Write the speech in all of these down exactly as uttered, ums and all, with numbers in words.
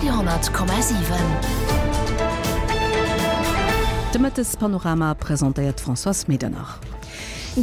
Radio honnert Komma siwen. De Mëttespanorama presentéiert d'Françoise Medernach.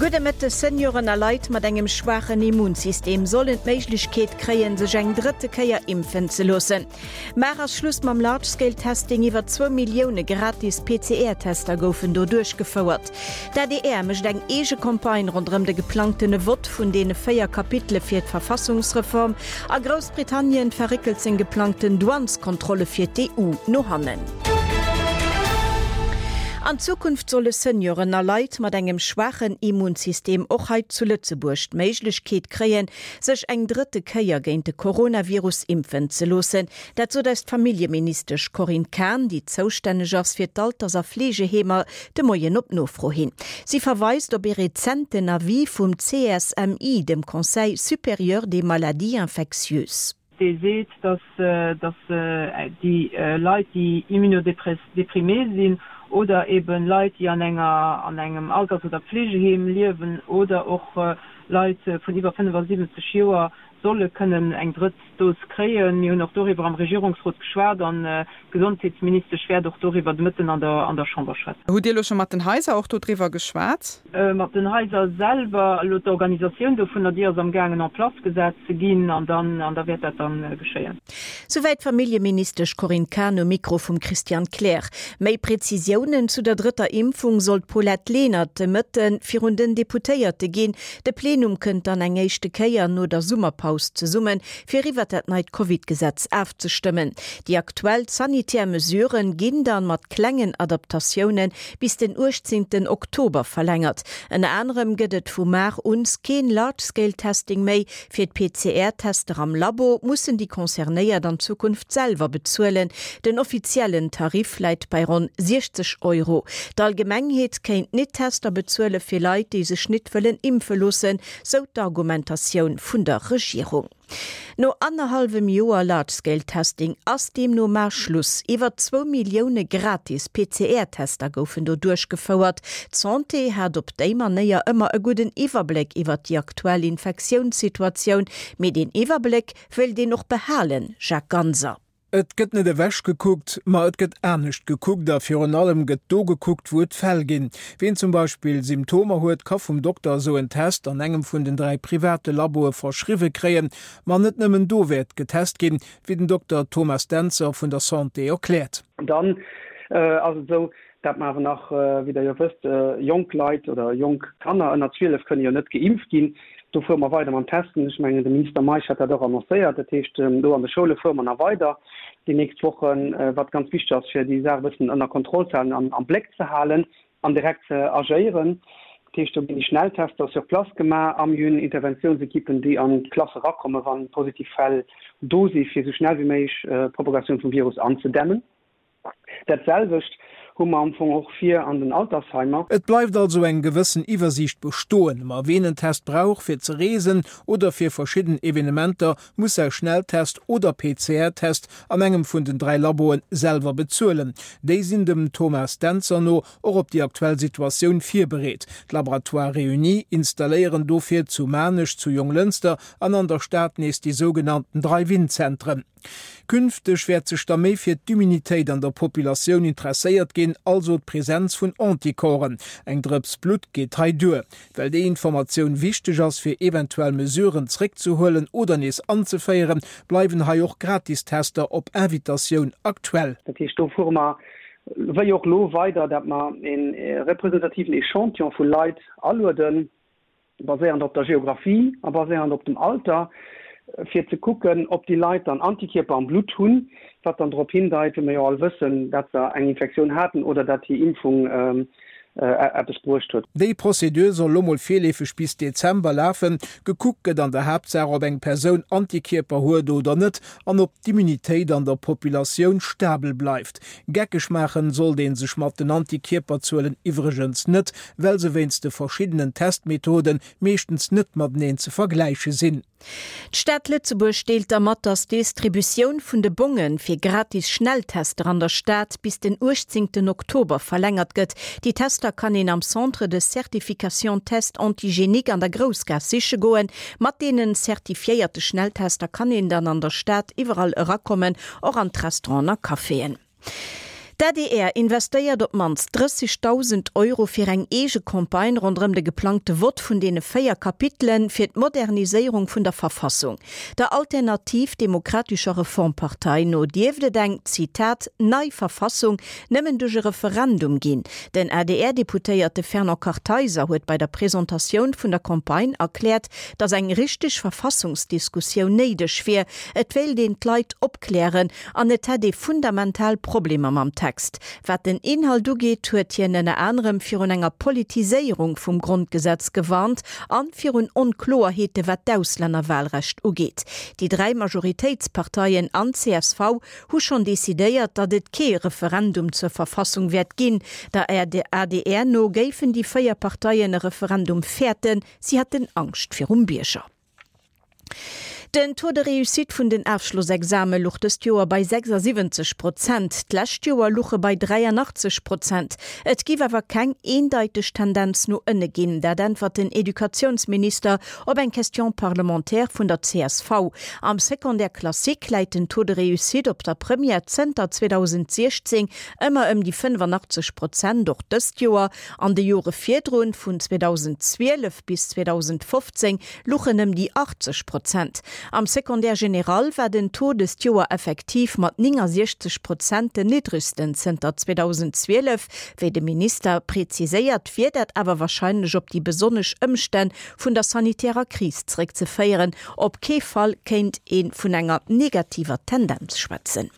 Gudde Mëtteg, Senioren a Leit mat engem schwaachen Immunsystem sollen d'Méiglechkeet kréien, sech eng drëtte Kéier impfen ze loossen. Mar ass Schluss mam Large-Scale-Testing, Iwwer zwou Millioune gratis P C R-Tester goufen do duerchgefouert. D'A D R mécht eng eege Campagne ronderëm de geplangtene Vott vun deene véier Kapitele fir d'Verfassungsreform. A Groussbritannien verréckelt seng geplangten Douaneskontrolle fir d'E U no hannen. An Zukunft solle Senioren a Leit mat engem schwaachen Immunsystem och hei zu Lëtzebuerg d'Méiglechkeet kréien, sech eng drëtte Kéier géint de Coronavirus impfen ze loossen. Dat sot eis d'Familljeministesch Corinne Cahen, déi zoustänneg ass fir d'Alters a Fleegeheemer, de Moien op Nofro hin. Si verweist op ee rezenten Avis vum C S M I, dem Conseil supérieur des maladies infectieuses. Dee seet, dass, dass déi Leit, déi immunodéprimé sinn oder eben Leit, déi an enger, an engem Alters- oder Pflegeheem liewen oder och Leit vun iwwer fënnefasiwwenzeg Joer solle kënnen eng drëtt Dos kréien. Mir hunn och doriwwer am Regierungsrot geschwat an d'Gesondheetsministesch wäert och doriwwer de Mëtten an der, an der Chamber schwätzen. Hutt Dir elo scho mat den Haiser och dodriwwer geschwat? Mat den Haiser selwer, elo d'Organisatioun dovunner, déi ass amgaangen en place gesat ze ginn an dann, an da wäert dat dann geschéien. Souwäit d'Familljeministesch Corinne Cahen um Mikro vum Christian Kleer. Méi Prezisiounen zu der drëtter Impfung soll d'Paulette Lenert de Mëtte virun den Deputéierte ginn. De Plenum kënnt dann eng éischte Kéier no der Summerpaus zesummen, fir iwwer dat neit Covid-Gesetz afzestëmmen. Déi aktuell sanitär Mesuren ginn dann mat klengen Adaptatiounen bis den uechtzehnten Oktober verlängert. Ënner anerem gëtt et vu mar un keen Large-Scale-Testing méi. Fir d'P C R-Tester am Labo mussen déi Concernéiert an Zukunft selwer bezuelen. Den offiziellen Tarif läit bei ronn siechzeg Euro. D'Allgemengheet kéint nit Tester bezuele fir Leit, déi sech nit wëllen impfe loossen, sou d'Argumentatioun vun der Regierung. No anderhalbem Joer Large-Scale-Testing ass deemno mar Schluss. Iwwer zwou Millioune gratis P C R-Tester goufen do duerchgefouert. D'Santé hat op déi Manéier ëmmer e gudden Iwwerbléck iwwer déi aktuell Infektiounssituatioun. Mee deen Iwwerbléck wëllt een och behalen, Jacques Ganser. Et gëtt net ewech gekuckt, ma et gëtt anescht gekuckt a virun allem gëtt do gekuckt, wou et Fäll ginn. Wien zum Beispill Symptomer huet, ka vum Dokter esou en Test an engem vun den dräi private Laboe verschriwwe kréien, ma net nëmmen do wäert getest ginn, wéi den Dokter Thomas Dentzer vun der Santé erkläert. Dann ass et esou, dat mer awer nach, wéi der jo wësst, jonk Leit oder jonk Kanner ënner zwielef kënne jo net geimpft ginn. Do fuere mer weider mam Testen. Ech mengen, de Minister Meisch hat dat och annoncéiert. Dat heescht, do an de Schoule fuere mer nach weider déi nächst Wochen, wat ganz wichteg ass, fir déi Saach e bëssen ënner Kontroll ze halen an am Bléck ze halen an direkt ze agéieren. Dat heescht, do ginn déi Schnelltester sur place gemaach am Juni, Interventiounsekippen, déi an d'Klasse rakommen, wann positiv Fäll do sinn, fir esou schnell wéi méiglech d'Propagatioun vum Virus anzedämmen. Dat selwecht hu mer am Fong och vir an den Altersheimer. Et bleift also eng gewëssen Iwwersiicht bestoen. Ma wien en Test brauch fir ze reesen oder fir verschidden Evenementer, muss säi Schnelltest oder P C R-Test an engem vun den dräi Laboen selwer bezuelen. Déi sinn dem Thomas Dentzer no och op déi aktuell Situatioun virbereet. D'Laboratoire Réunis installéieren dofir zu Maarnech, zu Jonglënster an an der Stad nees déi sougenannten Drive-in-Zentren. Künfteg wäert sech da méi fir d'Immunitéit an der Populatioun interesséiert ginn, also d'Präsenz vun Anticorpen. Eng Drëps Blut geet hei duer. Well déi Informatioun wichteg ass, fir eventuell Mesuren zréckzehuelen oder nees anzeféieren, bleiwen hei och Gratistester op Invitatioun aktuell. Dat heescht, do fuere mer wéi och lo weider, dat mer een representativen Echantillon vu Leit alueden, baséierend op der Geografie a baséierend op dem Alter, fir ze kucken, ob déi Leit dann Antikierper am Blut hunn, wat dann darauf hindeit, wéi mir jo all wëssen, dat se eng Infektioun haten oder dat déi Impfung, äh, eppes bruecht huet. Déi Prozedur soll lo mol virleefeg bis Dezember lafen. Gekuckt gëtt an der Haaptsaach, ob eng Persoun Antikierper huet oder net an ob d'Immunitéit an der Populatioun stabel bleift. Geckeg maachen sollt een sech mat den Antikierperzuelen iwwregens net, well se wéinst de verschiddenen Testmethoden meeschtens net mateneen ze vergläiche sinn. D'Stad Lëtzebuerg deelt da mat, datt d'Distributioun vun de Bonge fir gratis Schnelltester an der Stad bis den uechtzéngten Oktober verlängert gëtt. Déi Tester kann een am Centre de Certification Tests Antigéniques an der Groussgaass siche goen. Mat deenen zertifiéierte Schnelltester kann een dann an der Stad iwwerall erakommen, och an d'Restauranten a Caféen. D'ADR investéiert op d'mannst drëssegdausend Euro fir eng eege Campagne ronderëm de geplangte Vott vun deene véier Kapitele fir d'Moderniséierung vun der Verfassung. Der Alternativ Demokratischer Reformpartei no dierft et eng, Zitat, nei Verfassung nëmmen duerch e Referendum ginn. Den A D R-Deputéierte Fernand Kartheiser huet bei der Presentatioun vun der Campagne erkläert, datt eng richteg Verfassungsdiskussioun néideg wier, et wéilt een d'Leit opklären an et hätt ee fundamental Problemer mam Text. Wat den Inhalt ugeet, huet hien ënner anerem virun enger Politiséierung vum Grondgesetz gewarnt an virun Onkloerheete wat d'Auslännerwahlrecht ugeet. Déi dräi Majoritéitsparteien an C S V hu schonn decidéiert, datt et kee Referendum zur Verfassung wäert ginn. Der A D R no géifen déi véier Parteien e Referendum fäerten, si hätten Angscht virum Bierger. Den Taux de réussite vun den Ofschlossexame louch dëst Joer bei sechsasiwwenzeg Prozent, d'lescht Joer louch e bei dräianachtzeg Prozent. Et géif awer keng eendeiteg Tendenz no ënne ginn, dat äntwert den Educatiounsminister op eng Question parlementaire vun der C S V. Am Secondaire classique läit den Taux de réussite op der Première zënter zweedausendsiechzéng ëmmer ëm déi fënnefanachteg Prozent, och dëst Joer. An de Jore virdrun, vun zweedausendzwielef bis zweedausendfofzéng, louch en ëm déi achtzeg Prozent. Am Secondaire général war den Taux dëst Joer effektiv mat néngasiechzeg Prozent den niddregsten zënter zweedausendzwielef. Wéi de Minister präziséiert, wier dat awer warscheinlech op déi besonnesch Ëmstänn vun der sanitärer Kris zeréckzeféieren. Op kee Fall kéint ee vun enger negativer Tendenz schwätzen.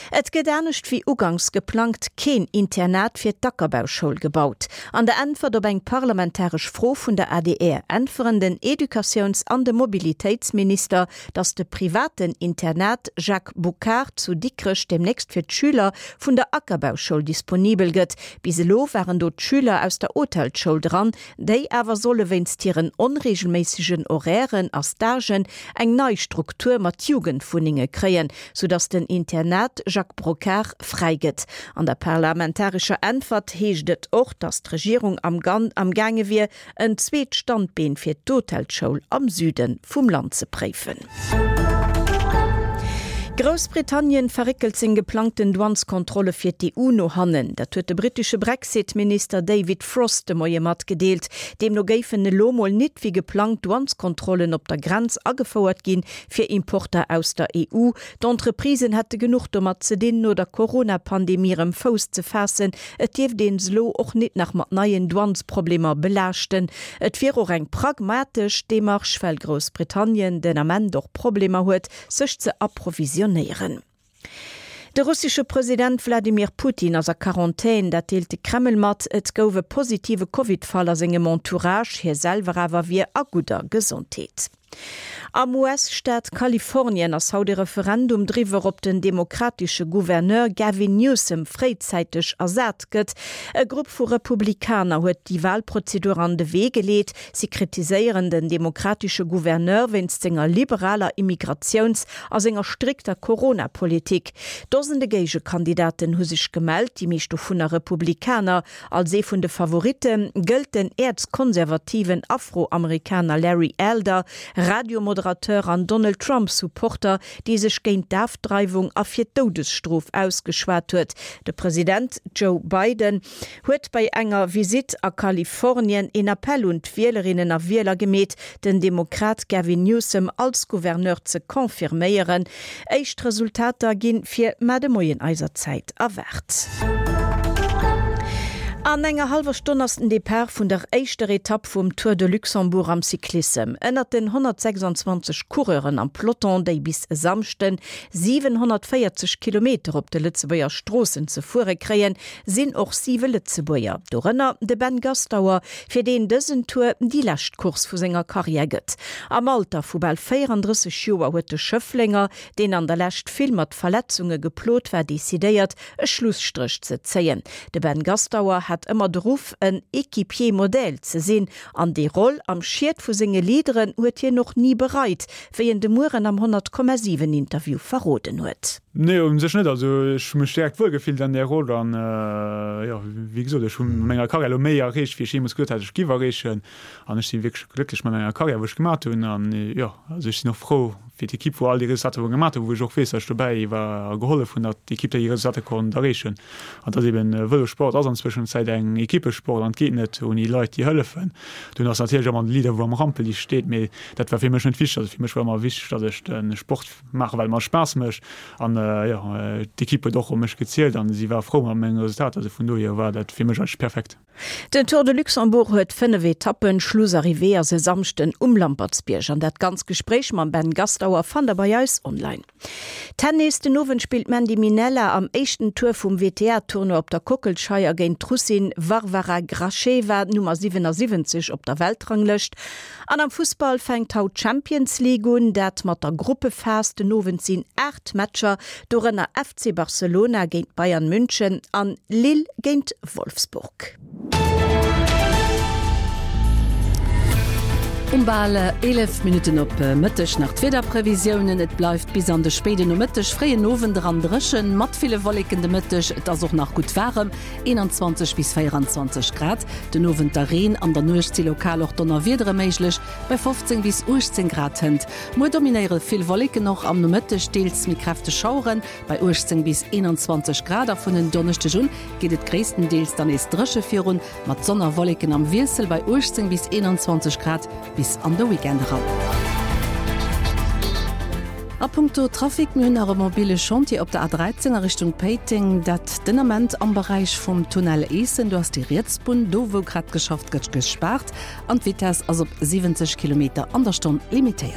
Et gëtt anescht wéi uganks geplangt keen Internat fir d'Ackerbauschoul gebaut. An der Äntwert op eng parlamentaresch Fro vun der A D R äntweren den Educatiouns an de Mobilitéitsminister, datt de privaten Internat Jacques Boucard zu Dikrech deemnächst fir d'Schüler vun der Ackerbauschoul disponibel gëtt. Bis elo waren do d'Schüler aus der Hotelsschoul dran, déi awer solle wéinst hiren onreegelméissegen Horairen a Stagen eng nei Struktur mat Jugendwunnenge kréien, soudatt den Internat Jacques Brocquart fräi gëtt. An der parlamentarescher Äntwert heescht et och, datt d'Regierung am am gaange wier, en zweet Standbeen fir d'Hotelsschoul am Süde vum Land ze préifen. Groussbritannien verréckelt seng geplangten Douaneskontrolle fir d'E U no hannen. Dat huet de brittesche Brexit-Minister David Frost de Moie matgedeelt. Deemno géifen elo mol net wéi geplangt Douaneskontrollen op der Grenz agefouert ginn fir Importer aus der E U. D'Entreprisen hätte genuch domat ze dinn, no der Corona-Pandemie erëm Fouss ze faassen. Et dierft een se elo och net nach mat neien Douanesproblemer belaaschten. Et wier och eng pragmatesch Demarche, well Groussbritannien den Ament och Problemer huet, sech ze approvisionéieren. De russesche President Wladimir Putin ass a Quarantän, dat deelt de Kreml mat. Et gouf e positive Covid-Fall a sengem Entourage, hie selwer awer wier a gudder Gesondheet. Am U S-Staat Kalifornien ass haut e Referendum driwwer, ob den demokratesche Gouverneur Gavin Newsom fréizäiteg ersat gëtt. E Grupp vu Republikaner huet déi Walprozedur an de Wee geleet. Si kritiséieren den demokratesche Gouverneur wéinst senger liberaler Immigratiouns a senger strikter Corona-Politik. Dosende Géigekandidaten hu sech gemellt, déi meescht dovunner Republikaner. Als ee vun de Favoritte gëllt den äerzkonservativen Afroamerikaner Larry Elder, Radiomoderateur an Donald Trump Supporter, dee sech géint d'Ofdreiwung a fir d'Doudesstrof ausgeschwat huet. De President Joe Biden huet bei enger Visitt a Kalifornien een Appell un d'Wielerinnen a Wieler gemeet, den Demokrat Gavin Newsom als Gouverneur ze confirméieren. Éischt Resultater gi fir mar de Moien eiser Zäit erwaart. An enger hallwer Stonn ass den Depart vun der éischter Etapp vum Tour de Luxembourg am Cyclissem. Ënnert den honnertsechsanzwanzeg Coureuren am Peloton, déi bis e Samschden siwenhonnertvéierzeg Kilometer op de Lëtzebuerger Stroossen ze fuere kréien, sinn och siwe Lëtzebuerger. Dorënner de Ben Gastauer, fir deen dësen Tour déi lescht Course vu senger Karriär gëtt. Am Alter vu bal véierandrësseg Joer huet de Schëfflenger, deen an der Lescht vill mat Verletzunge geplot war, decidéiert, e Schlusstréch ze zéien. De Ben Gastauer hat hat ëmmer de Ruff, en Equipier modèle ze sinn, an déi Roll am Schiet vu senge Leaderen huet hien och ni bereit, wéi en de Mueren am honnert Komma siwen Interview verroden huet. Nee, u sech net. Also ech hu mech direkt wuel gefillt an där Roll an, jo, wéi gesot, ech hu mat menger Karriär elo méi erreecht, wéi ech jeemools geduet hat, ech giff erreechen. An ech si wierklech glécklech mat menger Karriär, wou ech gemat hunn. An jo, also ech sinn och frou fir d'Ekipp, wou all déi Resultater wou gemat hunn, wou ech och weess, datt ech dobäi war a gehollef hunn, datt d'Ekipp déi Resultater konnt erreechen. An datt eben Vëlossport ass an Zwëschenzäit eng Ekippesport an et geet net ouni Leit, déi hëllefen. Dunn ass natierlech ëmmer de Leader, wou am Rampeliicht steet, mee dat war fir mech net wichteg. Also fir mech war ëmmer wichteg, datt ech de Sport maachen, well e mer Spaass mécht. An jo, d'Ekipp huet och op mech gezielt an si war frou mat menge Resultater. Also vun dohier war dat fir mech eigentlech perfekt. Den Tour de Luxembourg huet fënnef Etappen, Schlussarrivée ass e Samschden um Lampertsbierg. An dat ganz Gespréich mam Ben Gastauer fannt der bei eis online. Tennis, Den Owend spillt d'Mandy Minella am éischten Tour vum W T A-Tournoi op der Kockelscheier géint d'Russin Varvara Gracheva, Nummer siwenasiwwenzeg op der Weltranglëscht. An am Fussball fänkt haut d'Champions League un, dat mat der Gruppephas. Den Owend sinn aacht Matcher, dorënner F C Barcelona géint Bayern München an Lille géint Wolfsburg. Um bal eelef Minutten op Mëtteg nach d'Wiederprevisiounen, Et bleift bis an de spéiden Nomëtteg, fréien Owend eran dréchen, mat ville Wolleken de Mëtteg. Et ass och nach gutt waarem, eenanzwanzeg bis véieranzwanzeg Grad. Den Owend da Reen, an der Nuecht si lokal och Donnerwiedere méiglech, bei fofzéng bis uechtzéng Grad. Hënt muer dominéiere vill Wolleken, och am Nomëtteg deels méi kräfteg Schaueren, bei uechtzéng bis eenanzwanzeg Grad. A vun en Donneschdeg un geet et gréisstendeels dann nees dréche virun, mat Sonn a Wolleken am Wiessel, bei uechtzéng bis eenanzwanzeg Grad bis an de Weekend eran. A punkto Trafic, mir hunn nach e mobile Chantier op der A dräizéng a Richtung Péiteng, dat den Ament am Beräich vum Tunnel Eessen. Do ass déi riets Bunn, do wou grad geschafft gëtt, gespaart an d'Vitess ass op siwwenzeg Kilometer an der Stonn limitéiert.